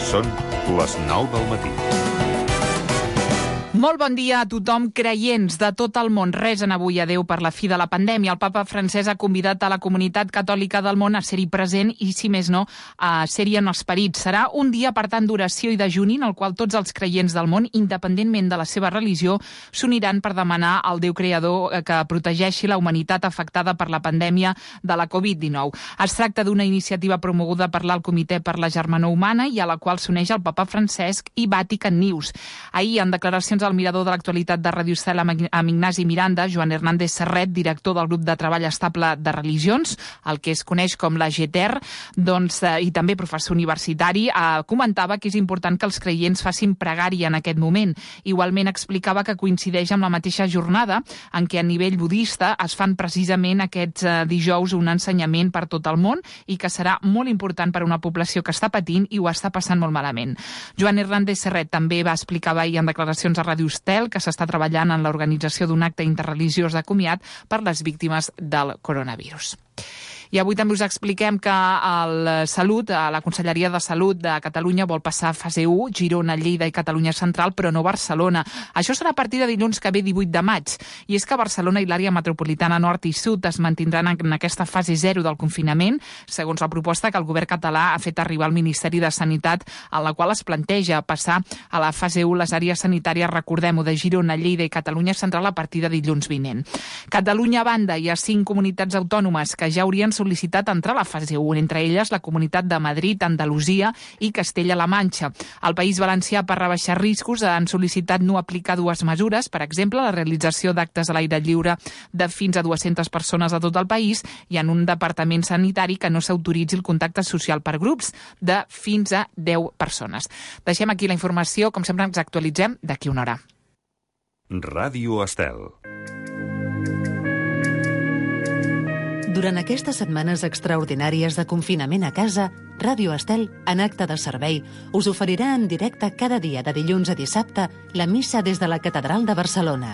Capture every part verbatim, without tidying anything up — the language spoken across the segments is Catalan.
Són les nou del matí. Molt bon dia a tothom, creients de tot el món. Resen avui a Déu per la fi de la pandèmia. El papa francès ha convidat a la comunitat catòlica del món a ser-hi present i, si més no, a ser-hi en esperit. Serà un dia, per tant, d'oració i dejuni en el qual tots els creients del món, independentment de la seva religió, s'uniran per demanar al Déu creador que protegeixi la humanitat afectada per la pandèmia de la covid dinou. Es tracta d'una iniciativa promoguda per l'Alt Comitè per la Germanor Humana i a la qual s'uneix el papa Francesc i Vatican News. Ahir, en declaracions al mirador de l'actualitat de Ràdio Estel amb Ignasi Miranda, Joan Hernández Serret, director del grup de treball estable de religions, el que es coneix com la G T E R, doncs, eh, i també professor universitari, eh, comentava que és important que els creients facin pregària en aquest moment. Igualment explicava que coincideix amb la mateixa jornada en què a nivell budista es fan precisament aquests eh, dijous un ensenyament per tot el món i que serà molt important per a una població que està patint i ho està passant molt malament. Joan Hernández Serret també va explicar ahir en declaracions a Ràdio Estel que s'està treballant en l'organització d'un acte interreligiós de comiat per les víctimes del coronavirus. I avui també us expliquem que el Salut, la Conselleria de Salut de Catalunya vol passar a fase u, Girona, Lleida i Catalunya Central, però no Barcelona. Això serà a partir de dilluns que ve divuit de maig. I és que Barcelona i l'àrea metropolitana nord i sud es mantindran en aquesta fase zero del confinament, segons la proposta que el govern català ha fet arribar al Ministeri de Sanitat, en la qual es planteja passar a la fase u les àrees sanitàries, recordem-ho, de Girona, Lleida i Catalunya Central a partir de dilluns vinent. Catalunya, a banda, hi ha cinc comunitats autònomes que ja haurien sol·licitat entrar a la fase u, entre elles la Comunitat de Madrid, Andalusia i Castella-La Manxa. Al País Valencià, per rebaixar riscos, han sol·licitat no aplicar dues mesures, per exemple, la realització d'actes a l'aire lliure de fins a dues-centes persones a tot el país i en un departament sanitari que no s'autoritzi el contacte social per grups de fins a deu persones. Deixem aquí la informació, com sempre ens actualitzem d'aquí una hora. Ràdio Estel. Durant aquestes setmanes extraordinàries de confinament a casa, Ràdio Estel, en acte de servei, us oferirà en directe cada dia de dilluns a dissabte la missa des de la Catedral de Barcelona.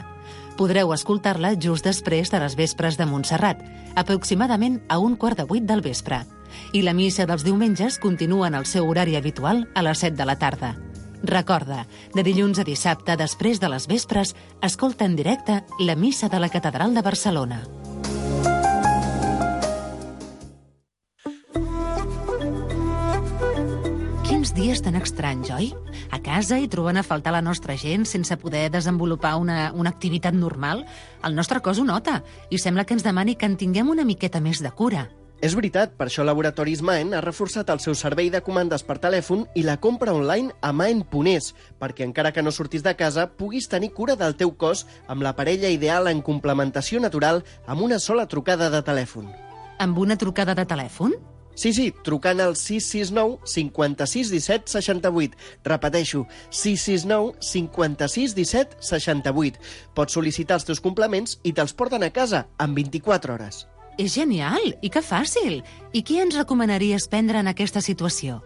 Podreu escoltar-la just després de les vespres de Montserrat, aproximadament a un quart de vuit del vespre. I la missa dels diumenges continua en el seu horari habitual a les set de la tarda. Recorda, de dilluns a dissabte, després de les vespres, escolta en directe la missa de la Catedral de Barcelona. Quins dies tan estranys, oi? A casa i trobant a faltar la nostra gent sense poder desenvolupar una, una activitat normal, el nostre cos ho nota i sembla que ens demani que en tinguem una miqueta més de cura. És veritat, per això Laboratoris Maen ha reforçat el seu servei de comandes per telèfon i la compra online a maen punt es, perquè encara que no surtis de casa, puguis tenir cura del teu cos amb la parella ideal en complementació natural amb una sola trucada de telèfon. Amb una trucada de telèfon? Sí, sí, trucant al sis sis nou cinquanta-sis disset seixanta-vuit. Repeteixo, sis sis nou cinquanta-sis disset seixanta-vuit. Pots sol·licitar els teus complements i te'ls porten a casa en vint-i-quatre hores. És genial! I que fàcil! I què ens recomanaries prendre en aquesta situació?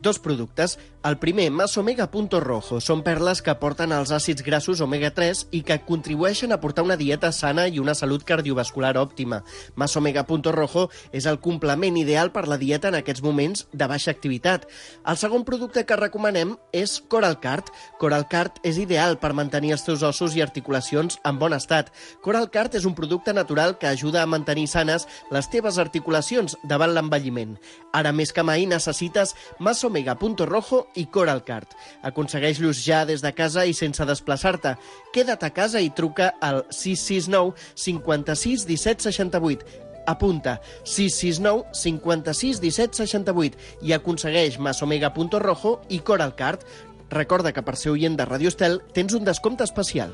Dos productes. El primer, Masomega Punto Rojo. Són perles que aporten els àcids grassos omega tres i que contribueixen a portar una dieta sana i una salut cardiovascular òptima. Masomega Punto Rojo és el complement ideal per la dieta en aquests moments de baixa activitat. El segon producte que recomanem és Coralcard. Coralcard és ideal per mantenir els teus ossos i articulacions en bon estat. Coralcard és un producte natural que ajuda a mantenir sanes les teves articulacions davant l'envelliment. Ara més que mai necessites Masomega Punto Rojo i Coralcard. Aconsegueix-los ja des de casa i sense desplaçar-te. Queda't a casa i truca al sis sis nou cinquanta-sis disset seixanta-vuit. Apunta, sis sis nou cinquanta-sis disset seixanta-vuit i aconsegueix Masomega Punto Rojo i Coralcard. Recorda que per ser oient de Ràdio Estel tens un descompte especial.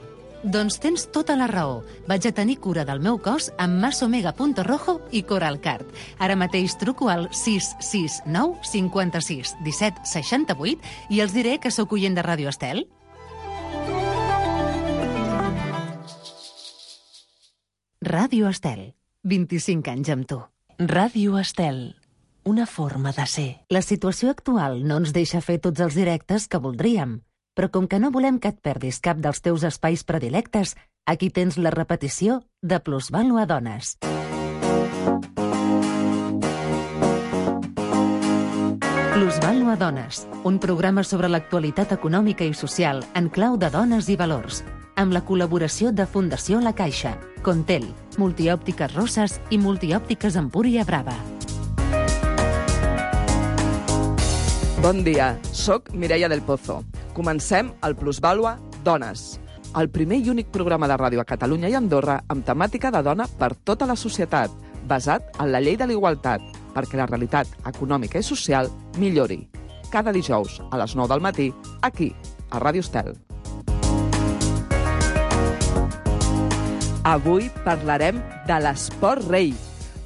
Doncs tens tota la raó. Vaig a tenir cura del meu cos amb Masomega Punto Rojo i Coralcard. Ara mateix truco al sis sis nou cinquanta-sis disset seixanta-vuit i els diré que sóc oient de Ràdio Estel. Ràdio Estel. vint-i-cinc anys amb tu. Ràdio Estel. Una forma de ser. La situació actual no ens deixa fer tots els directes que voldríem. Però com que no volem que et perdis cap dels teus espais predilectes, aquí tens la repetició de Plusvàlua Dones. Plusvàlua Dones, un programa sobre l'actualitat econòmica i social en clau de dones i valors, amb la col·laboració de Fundació La Caixa, Contel, Multiòptiques Roses i Multiòptiques Empúria Brava. Bon dia, soc Mireia del Pozo. Comencem el Plusvàlua Dones, el primer i únic programa de ràdio a Catalunya i Andorra amb temàtica de dona per tota la societat, basat en la llei de la igualtat, perquè la realitat econòmica i social millori. Cada dijous a les nou del matí, aquí, a Ràdio Estel. Avui parlarem de l'esport rei,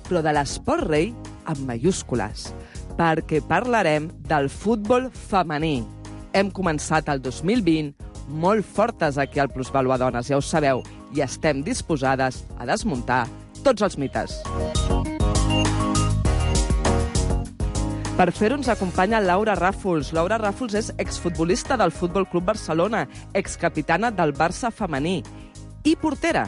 però de l'esport rei amb mayúscules, perquè parlarem del futbol femení. Hem començat el dos mil vint molt fortes aquí al Plusvàlua Dones, ja ho sabeu, i estem disposades a desmuntar tots els mites. Per fer-ho ens acompanya Laura Ràfols. Laura Ràfols és exfutbolista del Futbol Club Barcelona, excapitana del Barça femení i portera.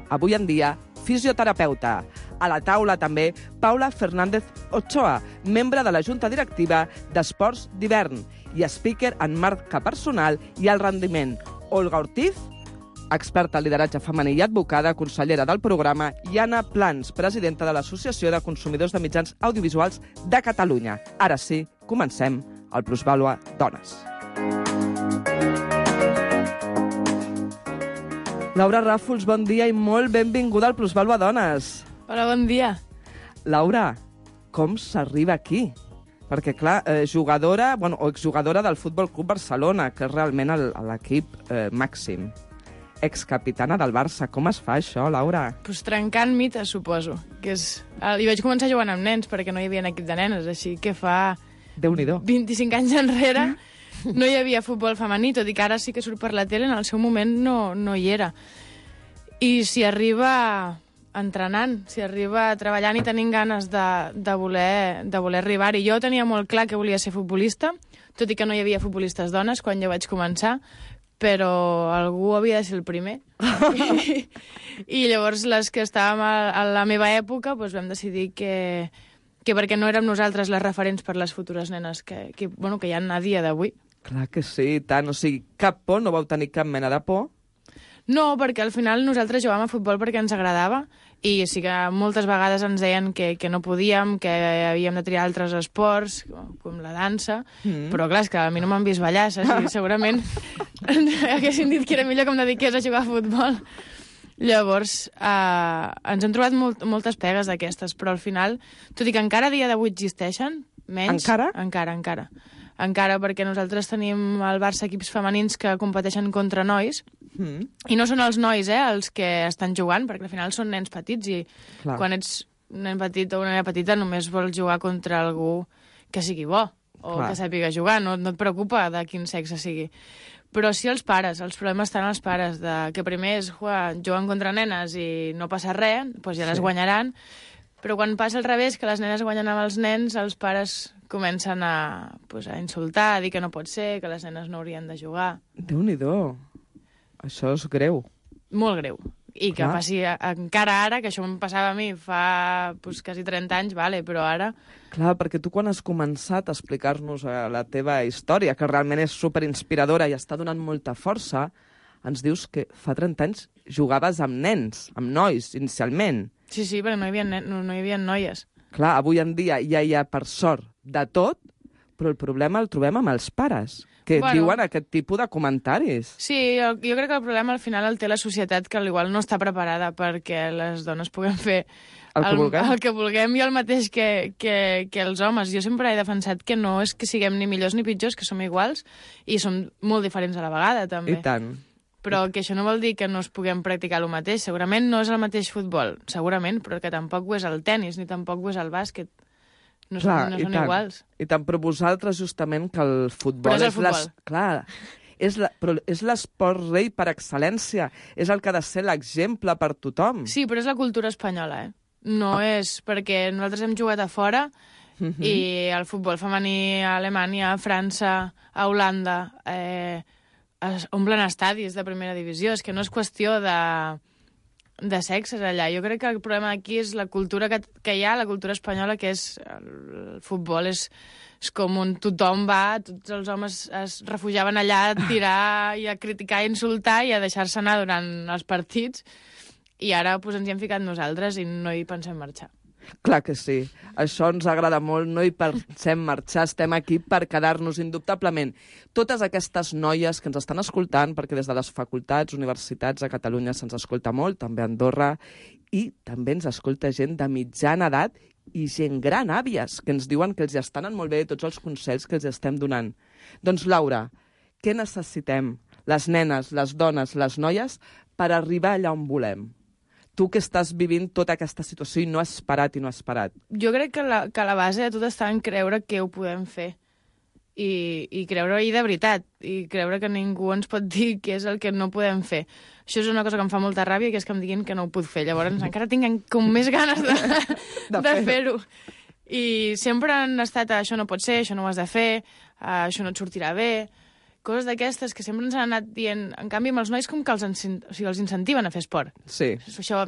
Avui en dia, fisioterapeuta. A la taula també Paula Fernández Ochoa, membre de la Junta Directiva d'Esports d'Hivern i speaker en marca personal i el rendiment. Olga Ortiz, experta en lideratge femení i advocada, consellera del programa, i Anna Plans, presidenta de l'Associació de Consumidors de Mitjans Audiovisuals de Catalunya. Ara sí, comencem el Plusvàlua Dones. Laura Ràfols, bon dia i molt benvinguda al Plusvàlua Dones. Hola, bon dia. Laura, com s'arriba aquí? Perquè, clar, eh, jugadora, bueno, o exjugadora del Futbol Club Barcelona, que és realment l'equip eh, màxim. Excapitana del Barça. Com es fa això, Laura? Pues trencant mites, suposo. Que és... I vaig començar jugant amb nens, perquè no hi havia equip de nenes, així que fa... Déu-n'hi-do. vint-i-cinc anys enrere no hi havia futbol femení, tot i que ara sí que surt per la tele, en el seu moment no, no hi era. I si arriba entrenant, si arriba treballant i tenint ganes de, de, voler, de voler arribar-hi. Jo tenia molt clar que volia ser futbolista, tot i que no hi havia futbolistes dones quan jo vaig començar, però algú havia de ser el primer. I, i llavors les que estàvem a, a la meva època doncs vam decidir que, que perquè no érem nosaltres les referents per les futures nenes que, que, bueno, que hi ha a dia d'avui. Clar que sí, tant. O sigui, cap por, no vau tenir cap mena de por? No, perquè al final nosaltres jugàvem a futbol perquè ens agradava i sí que moltes vegades ens deien que, que no podíem, que havíem de triar altres esports, com la dansa, mm. però clar, és que a mi no m'han vist ballar, saps? Segurament haguessin dit que era millor que em dediqués a jugar a futbol. Llavors, eh, ens hem trobat molt, moltes pegues d'aquestes, però al final, tot i que encara a dia d'avui existeixen, menys... Encara? Encara, encara. Encara, perquè nosaltres tenim al Barça equips femenins que competeixen contra nois, mm. i no són els nois eh, els que estan jugant, perquè al final són nens petits, i Clar. Quan ets un nen petit o una nena petita només vols jugar contra algú que sigui bo, o Clar. Que sàpiga jugar, no, no et preocupa de quin sexe sigui. Però sí els pares, els problemes estan als pares, de que primer és jugar, jugant contra nenes i no passa res, doncs ja les sí. guanyaran, però quan passa al revés, que les nenes guanyen amb els nens, els pares comencen a, pues, a insultar, a dir que no pot ser, que les nenes no haurien de jugar. Déu-n'hi-do. Això és greu. Molt greu. I que Clar. Passi encara ara, que això em passava a mi fa pues, quasi trenta anys, vale, però ara... Clar, perquè tu quan has començat a explicar-nos la teva història, que realment és superinspiradora i està donant molta força, ens dius que fa trenta anys jugaves amb nens, amb nois, inicialment. Sí, sí, perquè no hi havia, no, no hi havia noies. Clar, avui en dia ja hi ha, per sort, de tot, però el problema el trobem amb els pares, que bueno, diuen aquest tipus de comentaris. Sí, jo, jo crec que el problema al final el té la societat, que igual no està preparada perquè les dones puguem fer el que, el, vulguem. el que vulguem i el mateix que, que, que els homes. Jo sempre he defensat que no és que siguem ni millors ni pitjors, que som iguals i som molt diferents a la vegada, també. I tant. Però que això no vol dir que no es puguem practicar el mateix. Segurament no és el mateix futbol, segurament, però que tampoc ho és el tennis, ni tampoc ho és el bàsquet. No, Clar, són, no són tant, iguals. I tant, però vosaltres justament que el futbol... Però és el futbol. Les, clar, és, la, però és l'esport rei per excel·lència. És el que ha de ser l'exemple per tothom. Sí, però és la cultura espanyola, eh? No ah. és perquè nosaltres hem jugat a fora uh-huh. i el futbol femení a Alemanya, a França, a Holanda, eh, es omplen estadis de primera divisió. És que no és qüestió de... de sexes allà. Jo crec que el problema aquí és la cultura que, que hi ha, la cultura espanyola, que és el futbol és és com on tothom va, tots els homes es refugiaven allà a tirar i a criticar i insultar i a deixar-se anar durant els partits, i ara pues, ens hi hem ficat nosaltres i no hi pensem marxar. Clar que sí. Això ens agrada molt, no hi pensem marxar, estem aquí per quedar-nos indubtablement. Totes aquestes noies que ens estan escoltant, perquè des de les facultats, universitats a Catalunya se'ns escolta molt, també a Andorra, i també ens escolta gent de mitjana edat i gent gran, àvies, que ens diuen que els estaven molt bé tots els consells que els estem donant. Doncs, Laura, què necessitem, les nenes, les dones, les noies, per arribar allà on volem? Tu que estàs vivint tota aquesta situació i no has parat i no has parat. Jo crec que la, que la base de tot està en creure que ho podem fer. I, i creure-hi de veritat. I creure que ningú ens pot dir què és el que no podem fer. Això és una cosa que em fa molta ràbia, que és que em diguin que no ho puc fer. Llavors encara tinc com més ganes de, de, de fer-ho. I sempre han estat, això no pot ser, això no ho has de fer, això no et sortirà bé, coses d'aquestes que sempre ens han anat dient. En canvi, amb els nois com que els, o sigui, els incentiven a fer esport. Sí. Això,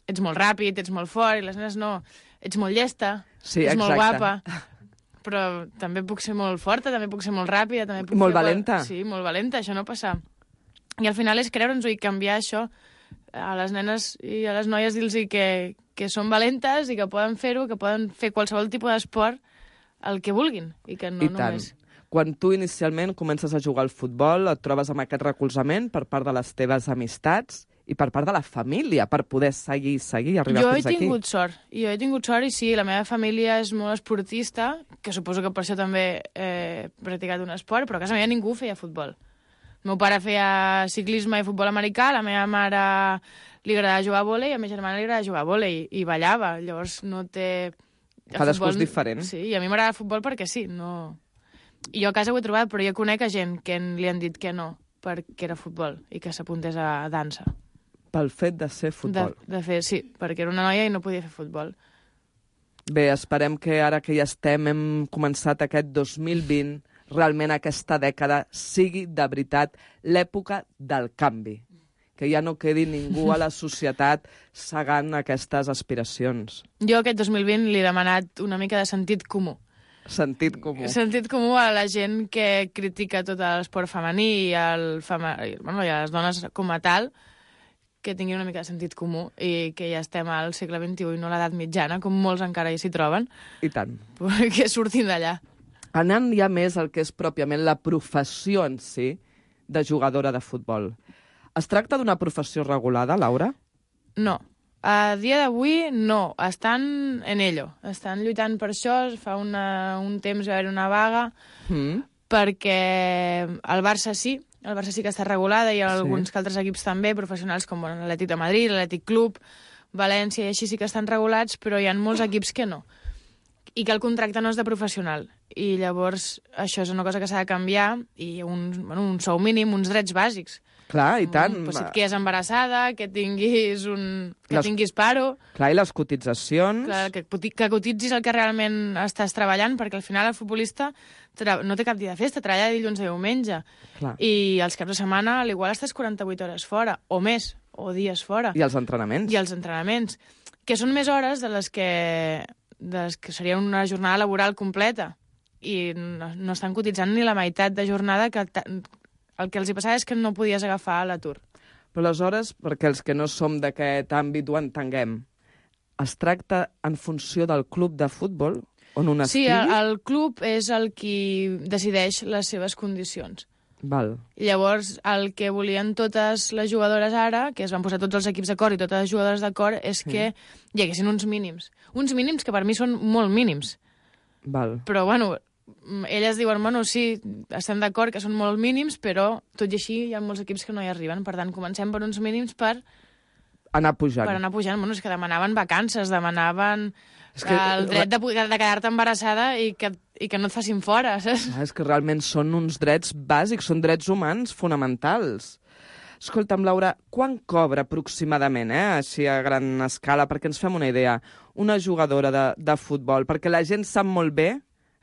ets molt ràpid, ets molt fort, i les nenes no. Ets molt llesta, sí, ets exacte. molt guapa, però també puc ser molt forta, també puc ser molt ràpida, també puc molt fer... valenta. Sí, molt valenta, això no passa. I al final és creure'ns-ho i canviar això a les nenes i a les noies, dir-los que, que són valentes i que poden fer-ho, que poden fer qualsevol tipus d'esport el que vulguin, i que no I tant. només... Quan tu inicialment comences a jugar al futbol, et trobes amb aquest recolzament per part de les teves amistats i per part de la família, per poder seguir, seguir, arribar jo fins aquí. Jo he tingut sort, jo he tingut sort i sí, la meva família és molt esportista, que suposo que per això també he practicat un esport, però a casa meva ningú feia futbol. El meu pare feia ciclisme i futbol americà, la meva mare li agradava jugar a vòlei, a la meva germana li agradava jugar a vòlei i ballava, llavors no té... Cadascú és diferent. Sí, i a mi m'agrada el futbol perquè sí, no... I jo a casa ho he trobat, però jo conec a gent que li han dit que no, perquè era futbol, i que s'apuntés a dansa. Pel fet de ser futbol. De, de fer, sí, perquè era una noia i no podia fer futbol. Bé, esperem que ara que ja estem, hem començat aquest dos mil vint, realment aquesta dècada sigui de veritat l'època del canvi. Que ja no quedi ningú a la societat segant aquestes aspiracions. Jo aquest dos mil vint li he demanat una mica de sentit comú. Sentit comú. Sentit comú a la gent que critica tot l'esport femení i, el fema... bueno, i a les dones com a tal, que tinguin una mica de sentit comú i que ja estem al segle vint-i-u i no a l'edat mitjana, com molts encara hi s'hi troben. I tant. Que surtin d'allà. Anant ja més al que és pròpiament la professió en si de jugadora de futbol. Es tracta d'una professió regulada, Laura? No. A dia d'avui, no. Estan en ello. Estan lluitant per això. Fa una, un temps va haver una vaga mm. perquè el Barça sí, el Barça sí que està regulada i alguns sí. altres equips també, professionals com l'Atlètic de Madrid, l'Atlètic Club, València i així sí que estan regulats, però hi ha molts equips que no. I que el contracte no és de professional. I llavors això és una cosa que s'ha de canviar i un, bueno, un sou mínim, uns drets bàsics. Clar, i tant. Pues si et quedes embarassada, que tinguis un... que les... tinguis paro... Clar, i les cotitzacions... Clar, que, que cotitzis el que realment estàs treballant, perquè al final el futbolista tra... no té cap dia de festa, treballa de dilluns a diumenge. Clar. I els caps de setmana, al igual estàs quaranta-vuit hores fora, o més, o dies fora. I els entrenaments. I els entrenaments, que són més hores de les que, de les que seria una jornada laboral completa. I no, no estan cotitzant ni la meitat de jornada que... El que els hi passava és que no podies agafar l'atur. Però aleshores, perquè els que no som d'aquest àmbit ho entenguem, es tracta en funció del club de futbol on un sí, estigui? Sí, el, el club és el qui decideix les seves condicions. Val. Llavors, el que volien totes les jugadores ara, que es van posar tots els equips d'acord i totes les jugadores d'acord, és que mm. hi haguessin uns mínims. Uns mínims que per mi són molt mínims. Val. Però, bueno... elles diuen, bueno, sí, estem d'acord que són molt mínims, però tot i així hi ha molts equips que no hi arriben. Per tant, comencem per uns mínims per... anar pujant. Per anar pujant. Bueno, és que demanaven vacances, demanaven és que... el dret de, de quedar-te embarassada i que, i que no et facin fora, saps? Ah, és que realment són uns drets bàsics, són drets humans fonamentals. Escolta'm, Laura, quan cobra aproximadament, eh, així a gran escala, perquè ens fem una idea, una jugadora de, de futbol? Perquè la gent sap molt bé,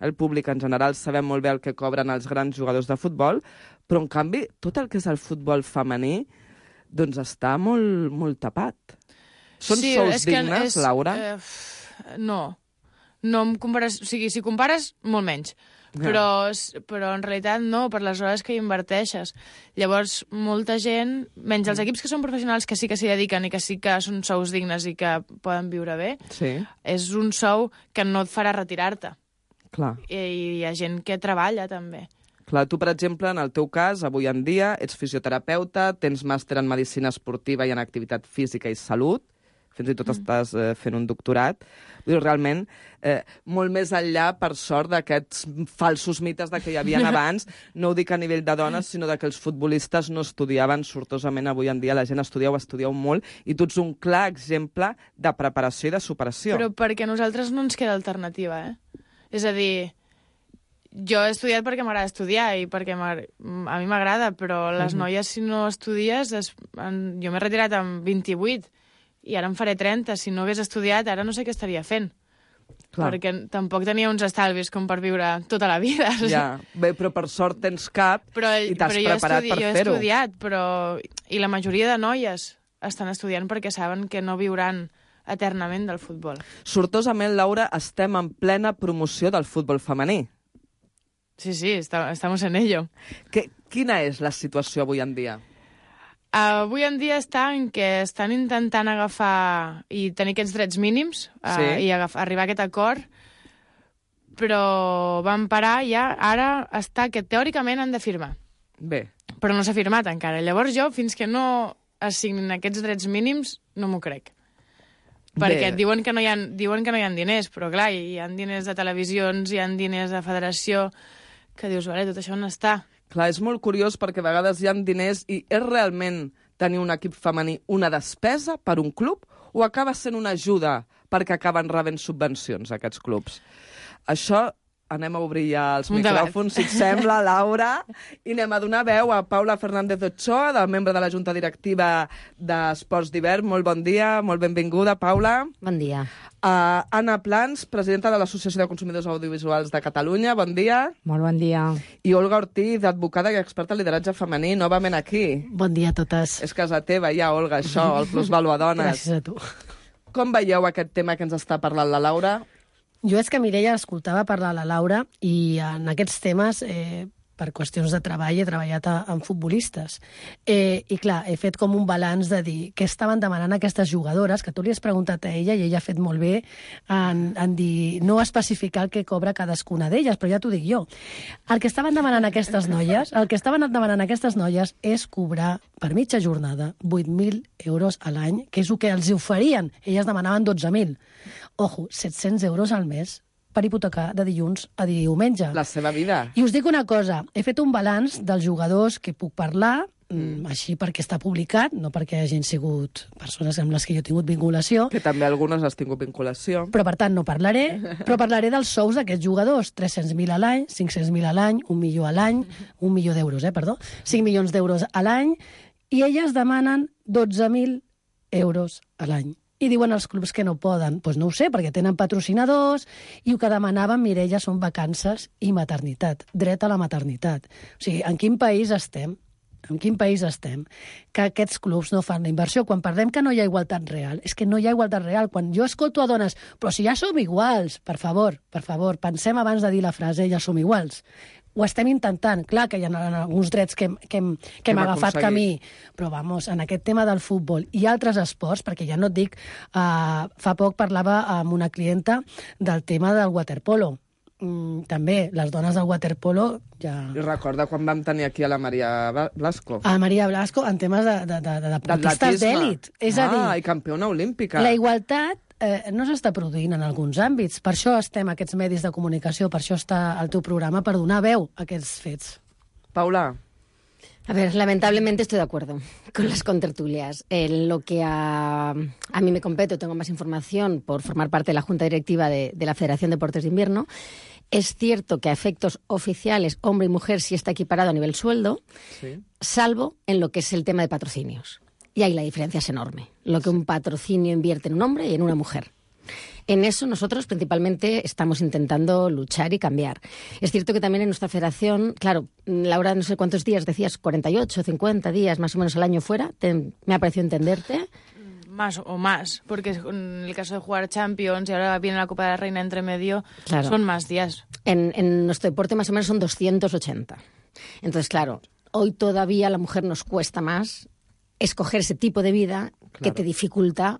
el públic en general sabem molt bé el que cobren els grans jugadors de futbol, però en canvi tot el que és el futbol femení doncs està molt, molt tapat. Són sí, sous dignes, és, Laura? Eh, no. no em compares... O sigui, si compares, molt menys. Yeah. Però, però en realitat no, per les hores que hi inverteixes. Llavors, molta gent, menys els equips que són professionals, que sí que s'hi dediquen i que sí que són sous dignes i que poden viure bé, sí. és un sou que no et farà retirar-te. Clar. I hi ha gent que treballa, també. Clar, tu, per exemple, en el teu cas, avui en dia, ets fisioterapeuta, tens màster en medicina esportiva i en activitat física i salut, fins i tot mm. estàs eh, fent un doctorat. Vull dir, realment, eh, molt més enllà, per sort, d'aquests falsos mites de que hi havia abans, no ho dic a nivell de dones, sinó de que els futbolistes no estudiaven sortosament. Avui en dia la gent estudieu, estudieu molt, i tu ets un clar exemple de preparació i de superació. Però perquè a nosaltres no ens queda alternativa, eh? És a dir, jo he estudiat perquè m'agrada estudiar i perquè a mi m'agrada, però les mm-hmm. noies, si no estudies... Es... Jo m'he retirat amb vint-i-vuit, i ara en faré trenta. Si no hagués estudiat, ara no sé què estaria fent. Clar. Perquè tampoc tenia uns estalvis com per viure tota la vida. Ja, bé, però per sort tens cap però, i t'has preparat estudi- per fer-ho. fer-ho. Jo he estudiat, però... I la majoria de noies estan estudiant perquè saben que no viuran eternament del futbol. Sortosament, Laura, estem en plena promoció del futbol femení. Sí, sí, está, estamos en ello. Que, quina és la situació avui en dia? Uh, avui en dia està en què estan intentant agafar i tenir aquests drets mínims uh, sí. i agafar, arribar a aquest acord, però van parar ja, ara està que teòricament han de firmar. Bé. Però no s'ha firmat encara. Llavors jo, fins que no es signin aquests drets mínims, no m'ho crec. Perquè diuen que, no hi ha, diuen que no hi ha diners, però clar, hi ha diners de televisions, hi ha diners de federació, que dius, vale, tot això on està? Clar, és molt curiós perquè a vegades hi ha diners i és realment tenir un equip femení una despesa per un club o acaba sent una ajuda perquè acaben rebent subvencions aquests clubs? Això anem a obrir ja els un micròfons, debat. Si et sembla, Laura, i anem a donar veu a Paula Fernández Ochoa, del membre de la Junta Directiva d'Esports d'Hivern. Molt bon dia, molt benvinguda, Paula. Bon dia. Uh, Anna Plans, presidenta de l'Associació de Consumidors Audiovisuals de Catalunya. Bon dia. Molt bon dia. I Olga Ortiz, advocada i experta en lideratge femení, novament aquí. Bon dia a totes. És casa teva, ja, Olga, això, el Plusvalua Dones. Gràcies a tu. Com veieu aquest tema que ens està parlant la Laura? Jo és que Mireia escoltava parlar la Laura i en aquests temes, eh, per qüestions de treball, he treballat a, amb futbolistes. Eh, I clar, he fet com un balanç de dir què estaven demanant aquestes jugadores, que tu li has preguntat a ella i ella ha fet molt bé en, en dir, no especificar el que cobra cadascuna d'elles, però ja t'ho dic jo. El que estaven demanant aquestes noies, el que estaven demanant aquestes noies és cobrar per mitja jornada vuit mil euros a l'any, que és el que els oferien. Elles demanaven dotze mil. Ojo, set-cents euros al mes per hipotecar de dilluns a diumenge. La seva vida. I us dic una cosa, he fet un balanç dels jugadors que puc parlar, mm. així perquè està publicat, no perquè hagin sigut persones amb les que jo he tingut vinculació. Que també algunes has tingut vinculació. Però, per tant, no parlaré, però parlaré dels sous d'aquests jugadors. tres-cents mil a l'any, cinc-cents mil a l'any, un milió a l'any, un milió d'euros, eh, perdó, cinc milions d'euros a l'any, i elles demanen dotze mil euros a l'any. I diuen els clubs que no poden. Doncs pues no ho sé, perquè tenen patrocinadors i el que demanaven, Mireia, són vacances i maternitat, dret a la maternitat. O sigui, en quin país estem? En quin país estem? Que aquests clubs no fan la inversió. Quan parlem que no hi ha igualtat real, és que no hi ha igualtat real. Quan jo escolto a dones, però si ja som iguals, per favor, per favor, pensem abans de dir la frase, ja som iguals. Ho estem intentant. Clar que hi ha alguns drets que, que, hem, que, que hem agafat camí, però vamos, en aquest tema del futbol i altres esports, perquè ja no et dic, uh, fa poc parlava amb una clienta del tema del waterpolo. Mm, també, les dones del waterpolo ja... I recorda quan vam tenir aquí a la Maria Blasco. A la Maria Blasco en temes de, de, de, de deportistes d'èlit. És ah, a dir, i campiona olímpica. La igualtat eh, no s'està produint en alguns àmbits. Per això estem aquests medis de comunicació, per això està el teu programa, per donar veu a aquests fets. Paula. A ver, lamentablemente estoy de acuerdo con las contertulias. En lo que a, a mí me compete, tengo más información por formar parte de la Junta Directiva de, de la Federación de Deportes de Invierno. Es cierto que a efectos oficiales, hombre y mujer sí está equiparado a nivel sueldo, sí. Salvo en lo que es el tema de patrocinios. Y ahí la diferencia es enorme. Lo que un patrocinio invierte en un hombre y en una mujer. En eso nosotros principalmente estamos intentando luchar y cambiar. Es cierto que también en nuestra federación, claro, Laura, no sé cuántos días decías, cuarenta y ocho, cincuenta días más o menos al año fuera, te, me ha parecido entenderte. más o más, porque en el caso de jugar Champions y ahora viene la Copa de la Reina entre medio, claro. son más días. En, en nuestro deporte más o menos son doscientos ochenta. Entonces, claro, hoy todavía a la mujer nos cuesta más escoger ese tipo de vida claro. que te dificulta,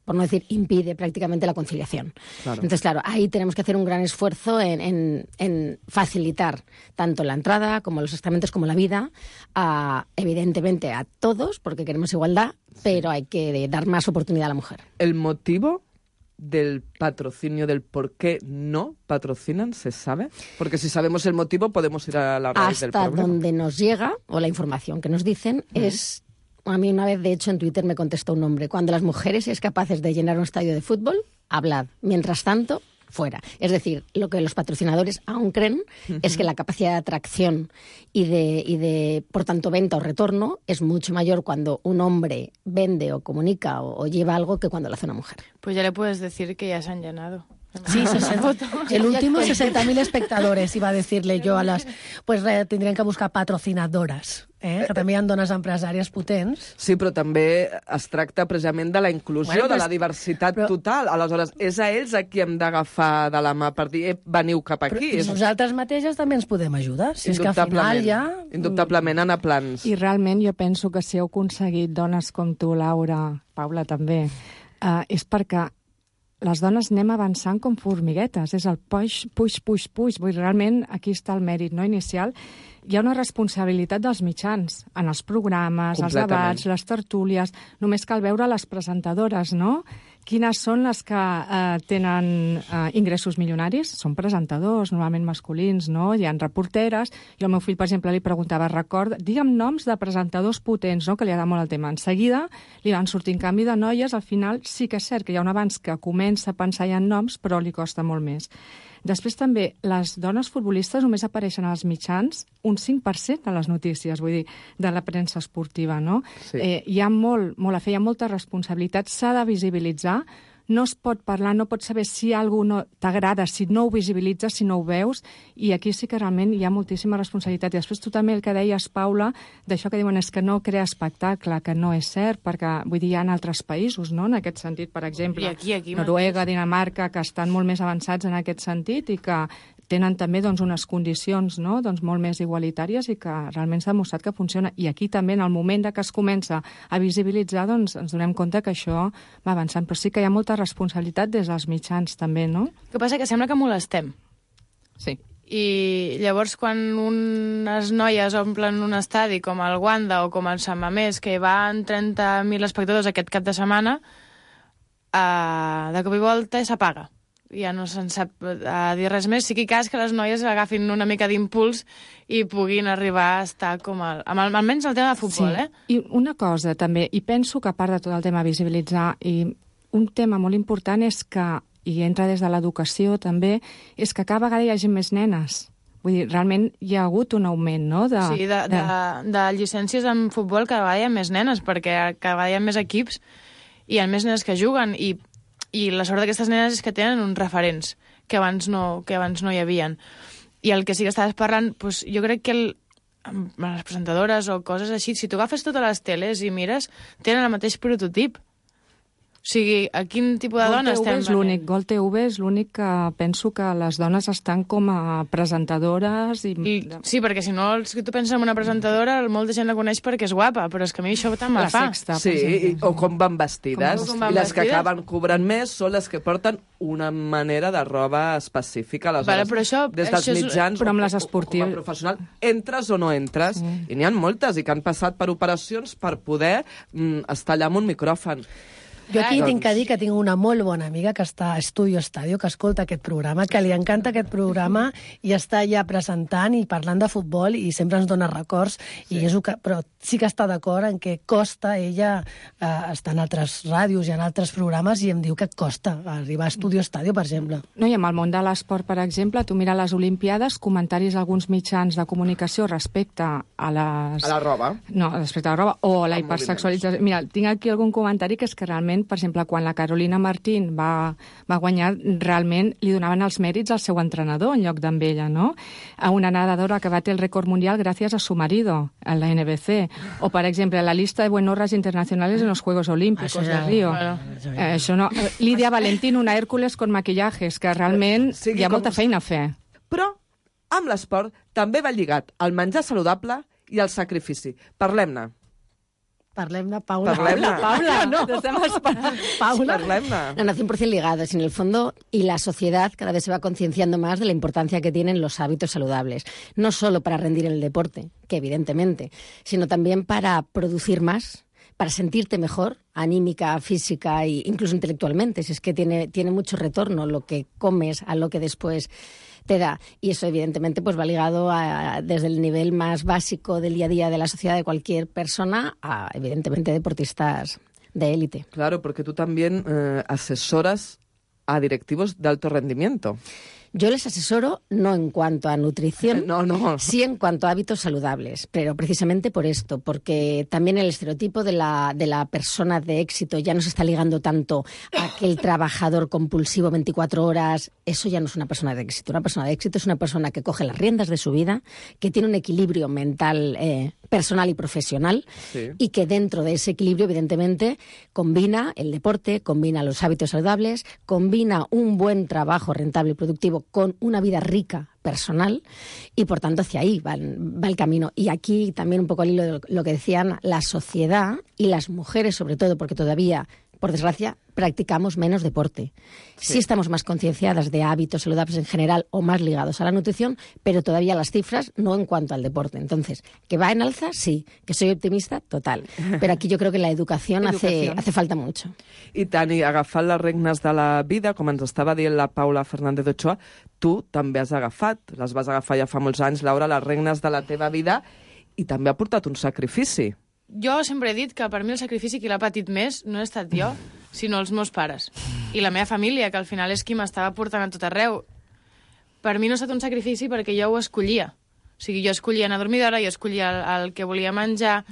por no decir impide prácticamente la conciliación. Claro. Entonces, claro, ahí tenemos que hacer un gran esfuerzo en, en, en facilitar tanto la entrada como los sacramentos como la vida, a, evidentemente a todos, porque queremos igualdad, pero hay que dar más oportunidad a la mujer. ¿El motivo del patrocinio, del por qué no patrocinan, se sabe? Porque si sabemos el motivo podemos ir a la raíz del problema. Hasta donde nos llega, o la información que nos dicen, uh-huh. es... A mí una vez, de hecho, en Twitter me contestó un hombre: cuando las mujeres es capaces de llenar un estadio de fútbol, hablad. Mientras tanto, fuera. Es decir, lo que los patrocinadores aún creen uh-huh. es que la capacidad de atracción y de, y de, por tanto, venta o retorno es mucho mayor cuando un hombre vende o comunica o, o lleva algo que cuando lo hace una mujer. Pues ya le puedes decir que ya se han llenado. Sí, sesenta, el último sesenta mil espectadores, iba a decirle yo a las... Pues re, tindrien que buscar patrocinadores, eh? que també hi ha dones empresàries potents. Sí, però també es tracta precisament de la inclusió, bueno, de la diversitat però... total. Aleshores, és a ells a qui hem d'agafar de la mà per dir, eh, veniu cap aquí. Però nosaltres mateixes també ens podem ajudar. Si és que al final ja... Indubtablement, anar a plans. I realment jo penso que si heu aconseguit dones com tu, Laura, Paula també, eh, és perquè les dones anem avançant com formiguetes, és el puix, puix, puix, puix. Vull dir, realment aquí està el mèrit no, inicial. Hi ha una responsabilitat dels mitjans en els programes, els debats, les tertúlies. Només cal veure les presentadores, no? Quines són les que eh, tenen eh, ingressos milionaris? Són presentadors, normalment masculins, no? Hi ha reporteres. Jo al meu fill, per exemple, li preguntava, record, digue'm noms de presentadors potents, no?, que li agrada molt el tema. En seguida li van sortir en canvi de noies. Al final sí que és cert que hi ha un abans que comença a pensar ja en noms, però li costa molt més. Després també, les dones futbolistes només apareixen als mitjans un cinc per cent de les notícies, vull dir, de la premsa esportiva, no? Sí. Eh, hi ha molt, molt a fer, hi ha molta responsabilitat, s'ha de visibilitzar, no es pot parlar, no pots saber si algú no t'agrada, si no ho visibilitzes, si no ho veus, i aquí sí que realment hi ha moltíssima responsabilitat. I després tu també el que deies, Paula, d'això que diuen és que no crea espectacle, que no és cert, perquè vull dir, hi ha en altres països, no?, en aquest sentit, per exemple, aquí, aquí, Noruega, Dinamarca, que estan molt més avançats en aquest sentit i que tenen també doncs, unes condicions no? doncs, molt més igualitàries i que realment s'ha demostrat que funciona. I aquí també, en el moment de que es comença a visibilitzar, doncs, ens donem compte que això va avançant. Però sí que hi ha molta responsabilitat des dels mitjans també, no? El que passa que sembla que molestem. Sí. I llavors quan unes noies omplen un estadi com el Wanda o com el Sant Mamés, que van trenta mil espectadors aquest cap de setmana, eh, de cop i volta s'apaga. Ja no se'n sap a dir res més. Sí que hi cas que les noies agafin una mica d'impuls i puguin arribar a estar com el, amb el, almenys el tema de futbol, sí. eh? I una cosa també, i penso que a part de tot el tema de visibilitzar, i un tema molt important és que, i entra des de l'educació també, és que cada vegada hi hagi més nenes. Vull dir, realment hi ha hagut un augment, no? De, sí, de, de... De, de llicències en futbol cada vegada hi ha més nenes, perquè cada vegada hi ha més equips i hi ha més nenes que juguen, i I la sort d'aquestes nenes és que tenen uns referents que abans no, que abans no hi havien. I el que sí que estaves parlant, doncs, jo crec que el, amb les presentadores o coses així, si tu agafes totes les teles i mires, tenen el mateix prototip. O sigui, a quin tipus de dona estem venent? Gol T V és l'únic que penso que les dones estan com a presentadores. I... I, sí, perquè si no, si tu penses en una presentadora, molta gent la coneix perquè és guapa, però és que a mi això tant me fa. Sexta, sí, i, o com van vestides. Com van I les vestides? que acaben cobrant més són les que porten una manera de roba específica. Aleshores, vale, però això, des dels això és... mitjans, però amb les esportives, com a professional, entres o no entres, mm. i n'hi ha moltes, i que han passat per operacions per poder mm, estar allà amb un micròfon. Jo aquí doncs... tinc que dir que tinc una molt bona amiga que està a Estudio Estadio, que escolta aquest programa, que li encanta aquest programa i està ja presentant i parlant de futbol i sempre ens dona records, sí. i és que, però sí que està d'acord en que costa, ella eh, està en altres ràdios i en altres programes i em diu que costa arribar a Estudio Estadio, per exemple. No, i amb el món de l'esport, per exemple, tu mira les Olimpiades, comentaris d'alguns mitjans de comunicació respecte a les... A la roba. No, respecte a la roba o a la hipersexualització. Mira, tinc aquí algun comentari que és que realment realment, per exemple, quan la Carolina Martín va, va guanyar, realment li donaven els mèrits al seu entrenador en lloc d'amb ella, no? A una nadadora que bate el récord mundial gracias a su marido, en la N B C. O, per exemple, la lista de buenorras internacionales en los Juegos Olímpicos de Río. Bueno. Eh, això no. Lídia Valentín, una Hércules con maquillajes, que realment sí, hi ha molta feina a fer. Però amb l'esport també va lligat el menjar saludable i el sacrifici. Parlem-ne. Parlem-ne, Paula. Parlem-ne. Paula, no. Paula. No, no, cien por ciento ligadas. En el fondo, y la sociedad cada vez se va concienciando más de la importancia que tienen los hábitos saludables. No solo para rendir en el deporte, que evidentemente, sino también para producir más, para sentirte mejor, anímica, física e incluso intelectualmente. Si es que tiene, tiene mucho retorno lo que comes a lo que después te da. Y eso, evidentemente, pues va ligado a, desde el nivel más básico del día a día de la sociedad de cualquier persona a, evidentemente, deportistas de élite. Claro, porque tú también eh, asesoras a directivos de alto rendimiento. Yo les asesoro no en cuanto a nutrición, no, no. sí en cuanto a hábitos saludables, pero precisamente por esto, porque también el estereotipo de la, de la persona de éxito ya no se está ligando tanto a aquel trabajador compulsivo veinticuatro horas. Eso ya no es una persona de éxito. Una persona de éxito es una persona que coge las riendas de su vida, que tiene un equilibrio mental eh, personal y profesional, sí, y que dentro de ese equilibrio, evidentemente, combina el deporte, combina los hábitos saludables, combina un buen trabajo rentable y productivo con una vida rica personal, y por tanto hacia ahí va, va el camino. Y aquí también un poco al hilo de lo que decían, la sociedad y las mujeres sobre todo, porque todavía, por desgracia, practicamos menos deporte. Sí, sí estamos más concienciadas de hábitos saludables en general o más ligados a la nutrición, pero todavía las cifras no en cuanto al deporte. Entonces, ¿que va en alza? Sí. ¿Que soy optimista? Total. Però aquí jo crec que la educació hace, hace falta mucho. I tant, i agafant les regnes de la vida, com ens estava dient la Paula Fernández Ochoa, tu també has agafat, les vas agafar ja fa molts anys, Laura, les regnes de la teva vida, i també ha portat un sacrifici. Jo sempre he dit que per mi el sacrifici qui l'ha patit més no he estat jo, sinó els meus pares. I la meva família, que al final és qui m'estava portant a tot arreu. Per mi no ha estat un sacrifici perquè jo ho escollia. O sigui, jo escollia anar a dormir d'hora, jo escollia el, el que volia menjar,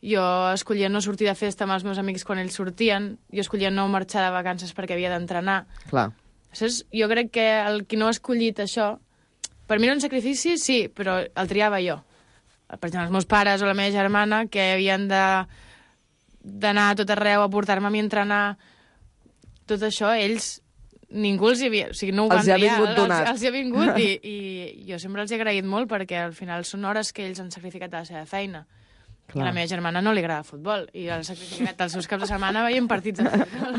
jo escollia no sortir de festa amb els meus amics quan ells sortien, jo escollia no marxar de vacances perquè havia d'entrenar. Clar. Saps? Jo crec que el qui no ha escollit això, per mi era un sacrifici, sí, però el triava jo. Per exemple, els meus pares o la meva germana, que havien de d'anar a tot arreu a portar-me a mi a entrenar, tot això, ells, ningú els hi havia... O sigui, no ho van els hi ha vingut els, donat. Els hi ha vingut i, i jo sempre els he agraït molt perquè al final són hores que ells han sacrificat a la seva feina. Clar. A la meva germana no li agrada el futbol i ha sacrificat els seus caps de setmana veient partits de futbol.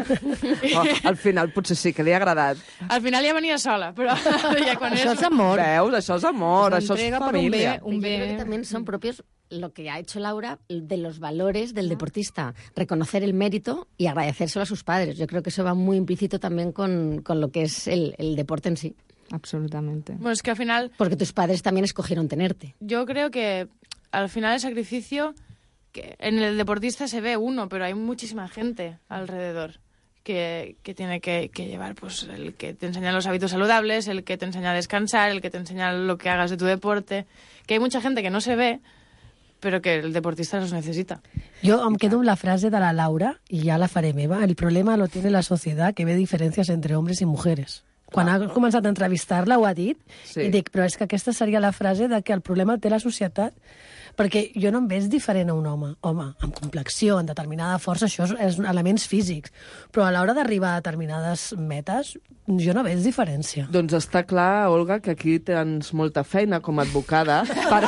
Oh, al final potser sí que li ha agradat. Al final ja venia sola, però ja quan això és... és amor. Veus? Això és amor, això és família. Un bé, un bé. Yo creo que también son propios lo que ha hecho Laura de los valores del deportista. Reconocer el mérito y agradecérselo a sus padres. Yo creo que eso va muy implícito también con, con lo que es el, el deporte en sí. Absolutamente. Bueno, es que al final... Porque tus padres también escogieron tenerte. Yo creo que al final el sacrificio, que en el deportista se ve uno, pero hay muchísima gente alrededor que, que tiene que, que llevar, pues el que te enseña los hábitos saludables, el que te enseña a descansar, el que te enseña lo que hagas de tu deporte, que hay mucha gente que no se ve, pero que el deportista los necesita. Jo em quedo amb la frase de la Laura, i ja la faré meva. El problema lo tiene la sociedad, que ve diferències entre hombres i mujeres. Quan ha començat a entrevistar-la ho ha dit, sí. I dic, però és que aquesta seria la frase de que el problema el té la societat, perquè jo no em veig diferent a un home. Home, amb complexió, en determinada força, això és, és elements físics, però a l'hora d'arribar a determinades metes, jo no veig diferència. Doncs està clar, Olga, que aquí tens molta feina com a advocada per,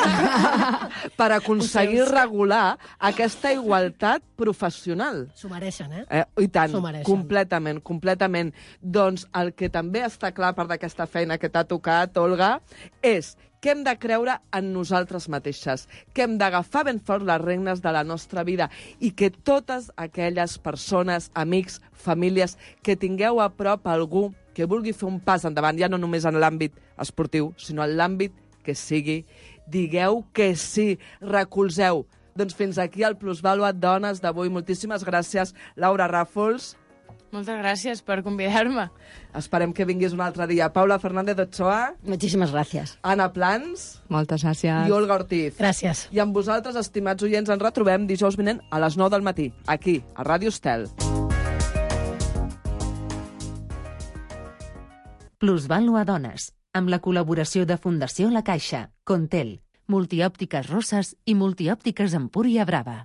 per aconseguir regular aquesta igualtat professional. S'ho mereixen, eh? eh? I tant, mereixen. completament, completament. Doncs el que també està clar per d'aquesta feina que t'ha tocat, Olga, és que hem de creure en nosaltres mateixes, que hem d'agafar ben fort les regnes de la nostra vida i que totes aquelles persones, amics, famílies, que tingueu a prop algú que vulgui fer un pas endavant, ja no només en l'àmbit esportiu, sinó en l'àmbit que sigui, digueu que sí, recolzeu. Doncs fins aquí el Plusvàlua Dones d'avui. Moltíssimes gràcies, Laura Ràfols. Moltes gràcies per convidar-me. Esperem que vinguis un altre dia. Paula Fernández Ochoa. Muchísimas gracias. Ana Plans. Moltes gràcies. I Olga Ortiz. Gràcies. I amb vosaltres, estimats oients, ens retrobem dijous vinent a les nou del matí, aquí, a Ràdio Estel. Plusvalua Dones, amb la col·laboració de Fundació La Caixa, Contel, Multiòptiques Rosses i Multiòptiques Empúria Brava.